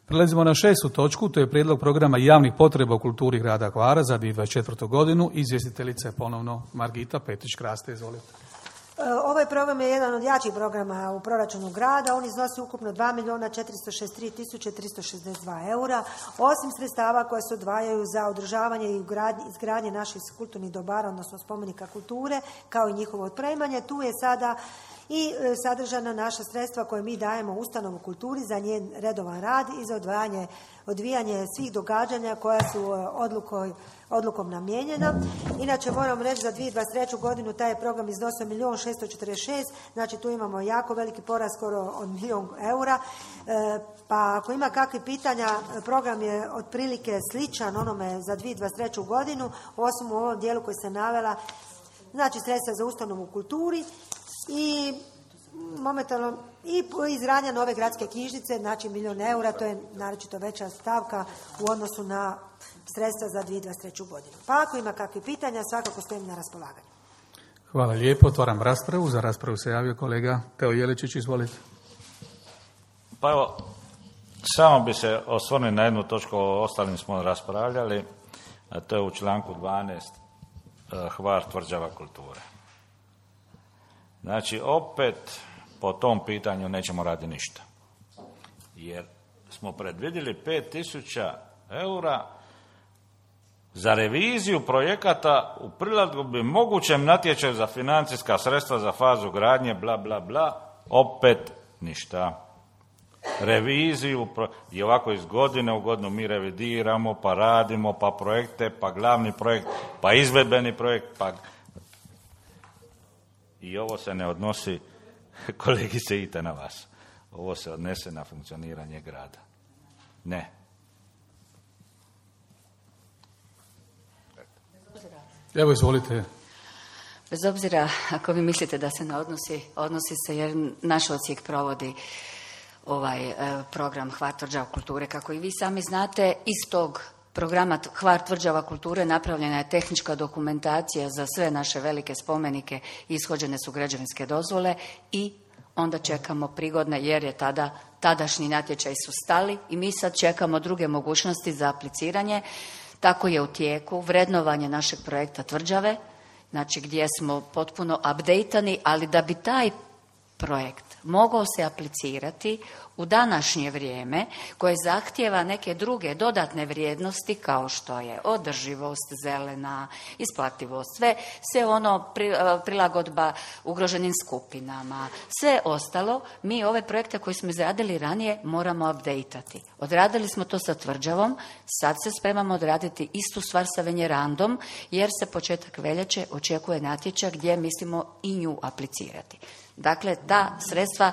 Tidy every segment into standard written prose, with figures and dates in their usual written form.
Prelazimo na 6. točku, to je prijedlog programa javnih potreba u kulturi grada Hvara za 2024. godinu. Izvjestiteljica je ponovno Margita Petrić-Kraste, izvolite. Ovaj program je jedan od jačih programa u proračunu grada. On iznosi ukupno 2.463.362 eura. Osim sredstava koja se odvajaju za održavanje i izgradnje naših kulturnih dobara, odnosno spomenika kulture, kao i njihovo otpremanje, tu je sada i sadržana naša sredstva koje mi dajemo ustanovu kulturi za njen redovan rad i za odvijanje svih događanja koja su odlukom namijenjena. Inače, moram reći, za 2023. godinu taj je program iznosio 1.646.000, znači tu imamo jako veliki porast, skoro od 1.000.000 eura. Pa ako ima kakvih pitanja, program je otprilike sličan onome za 2023. godinu, osim u ovom dijelu koji se navela, znači sredstva za ustanovu u kulturi i momentalno i izgradnja nove gradske knjižnice, znači 1.000.000 eura, to je naročito veća stavka u odnosu na sredstva za 2023. godinu. Pa ako ima kakvih pitanja, svakako stojim na raspolaganju. Hvala lijepo, otvaram raspravu. Za raspravu se javio kolega Teo Jeličić, izvolite. Pa evo, samo bi se osvrnuo na jednu točku, o ostalim smo raspravljali, a to je u članku 12. Hvar tvrđava kulture. Znači, opet po tom pitanju nećemo raditi ništa. Jer smo predvidjeli 5.000 eura za reviziju projekata u prilagodbi mogućem natječaju za financijska sredstva za fazu gradnje, bla, bla, bla. Opet ništa. Reviziju, i ovako iz godine u godinu mi revidiramo, pa radimo, pa projekte, pa glavni projekt, pa izvedbeni projekt, pa... I ovo se ne odnosi, kolegice, ite na vas. Ovo se odnese na funkcioniranje grada. Ne. Evo, izvolite. Bez obzira ako vi mislite da se ne odnosi se jer naš odsjek provodi ovaj program Hvar tvrđava kulture. Kako i vi sami znate, iz tog programa Hvar tvrđava kulture napravljena je tehnička dokumentacija za sve naše velike spomenike, ishođene su građevinske dozvole i onda čekamo prigodne, jer je tadašnji natječaj su stali i mi sad čekamo druge mogućnosti za apliciranje. Tako je u tijeku vrednovanje našeg projekta tvrđave, znači gdje smo potpuno updateani, ali da bi taj projekt mogao se aplicirati u današnje vrijeme koje zahtijeva neke druge dodatne vrijednosti kao što je održivost, zelena, isplativost, sve ono prilagodba ugroženim skupinama, sve ostalo, mi ove projekte koje smo izradili ranije moramo updateati. Odradili smo to sa tvrđavom, sad se spremamo odraditi istu stvar sa Venjerandom jer se početak veljače očekuje natječaj gdje mislimo i nju aplicirati. Dakle, ta sredstva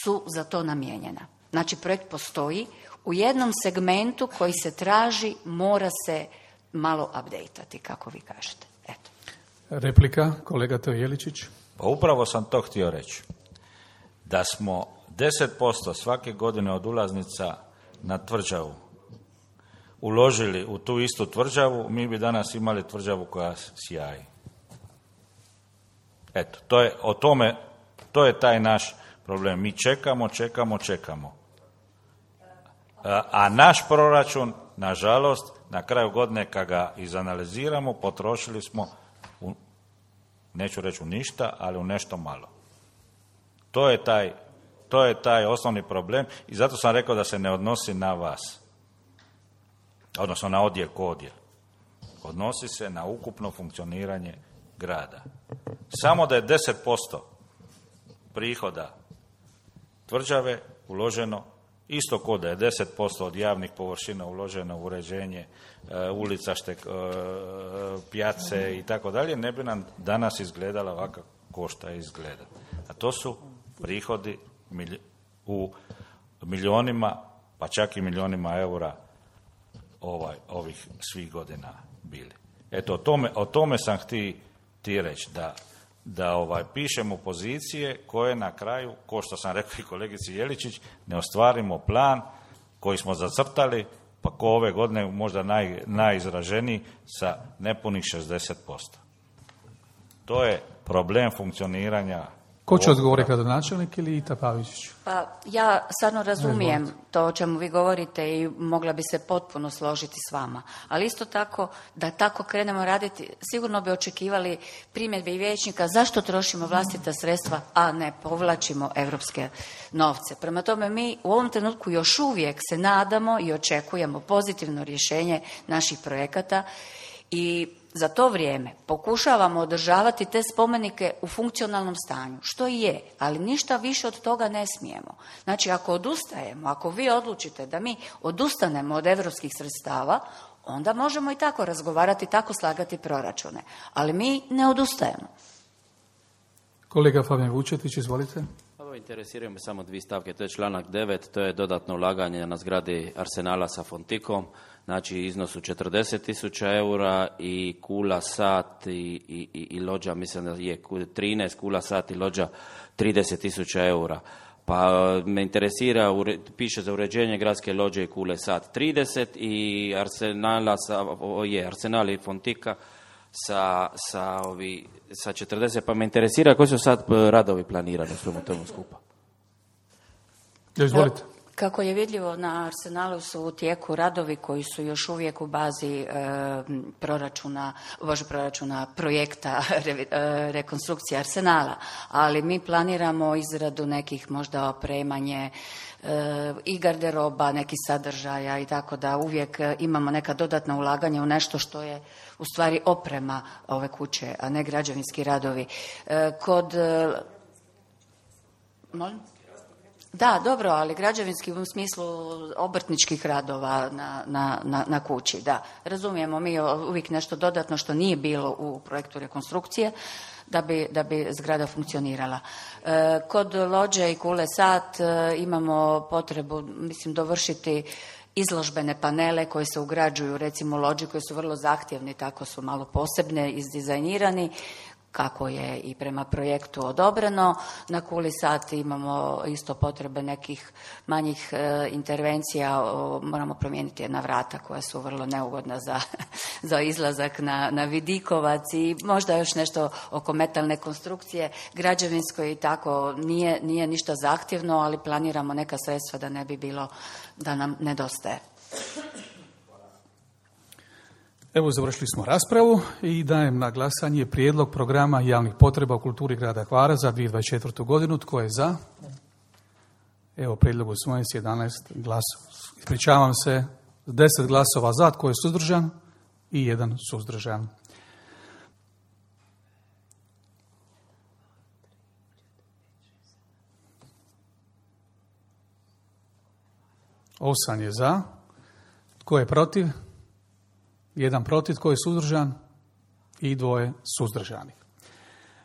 su za to namijenjena. Znači, projekt postoji. U jednom segmentu koji se traži mora se malo updateati, kako vi kažete. Eto. Replika, kolega Teo Jeličić. Pa upravo sam to htio reći. Da smo 10% svake godine od ulaznica na tvrđavu uložili u tu istu tvrđavu, mi bi danas imali tvrđavu koja sjaji. Eto, to je taj naš problem. Mi čekamo. A naš proračun, nažalost, na kraju godine kad ga izanaliziramo, potrošili smo, neću reći u ništa, ali u nešto malo. To je taj osnovni problem i zato sam rekao da se ne odnosi na vas. Odnosno na odjel ko odjel. Odnosi se na ukupno funkcioniranje grada. Samo da je 10% prihoda tvrđave uloženo, isto ko da je 10% od javnih površina uloženo u uređenje ulica, pjace i tako dalje, ne bi nam danas izgledala ovako ko šta izgleda. A to su prihodi u milionima, pa čak i milionima eura ovih svih godina bili. Eto, o tome sam htio reći, da pišemo pozicije koje na kraju, ko što sam rekao i kolegici Jeličić, ne ostvarimo plan koji smo zacrtali, pa ko ove godine možda najizraženiji sa nepunih 60%. To je problem funkcioniranja Ko će odgovoriti, gradonačelnik ili Ita Pavičić? Pa ja stvarno razumijem to o čemu vi govorite i mogla bi se potpuno složiti s vama. Ali isto tako, da tako krenemo raditi, sigurno bi očekivali primjedbe i vijećnika zašto trošimo vlastita sredstva, a ne povlačimo europske novce. Prema tome, mi u ovom trenutku još uvijek se nadamo i očekujemo pozitivno rješenje naših projekata i za to vrijeme pokušavamo održavati te spomenike u funkcionalnom stanju, što i je, ali ništa više od toga ne smijemo. Znači, ako odustajemo, ako vi odlučite da mi odustanemo od europskih sredstava, onda možemo i tako razgovarati, tako slagati proračune. Ali mi ne odustajemo. Kolega Fabijan Vučetić, izvolite. Interesiraju me samo dvije stavke, to je članak 9, to je dodatno ulaganje na zgradi Arsenala sa Fontikom, znači iznosu 40.000 eura i kula sat i lođa, mislim da je 13 kula sat i lođa 30.000 eura. Pa me interesira, piše za uređenje gradske lođe i kule sat 30 i Arsenal i Fontika sa 40, pa me interesira koji su sad radovi planirani u svemu tomu skupa. Izvolite. Kako je vidljivo, na Arsenalu su u tijeku radovi koji su još uvijek u bazi projekta rekonstrukcije Arsenala, ali mi planiramo izradu nekih možda opremanje i garderoba, nekih sadržaja i tako da uvijek imamo neka dodatna ulaganja u nešto što je u stvari oprema ove kuće, a ne građevinski radovi. Molim? Da, dobro, ali građevinski u smislu obrtničkih radova na kući, da. Razumijemo mi uvijek nešto dodatno što nije bilo u projektu rekonstrukcije da bi zgrada funkcionirala. Kod lođe i kule sat imamo potrebu, dovršiti izložbene panele koje se ugrađuju, recimo lođi koji su vrlo zahtjevni, tako su malo posebne, izdizajnirani, kako je i prema projektu odobreno. Na kuli sat imamo isto potrebe nekih manjih intervencija, moramo promijeniti jedna vrata koja su vrlo neugodna za izlazak na vidikovac i možda još nešto oko metalne konstrukcije, građevinsko i tako nije ništa zahtjevno, ali planiramo neka sredstva da ne bi bilo da nam nedostaje. Evo, završili smo raspravu i dajem na glasanje prijedlog programa javnih potreba u kulturi grada Hvara za 2024. godinu. Tko je za? Evo, prijedlog usvojen s 11 glasova. Ispričavam se, 10 glasova za, tko je suzdržan i 1 suzdržan. Osam je za. Tko je protiv? 1 protiv, tko je suzdržan i 2 suzdržanih.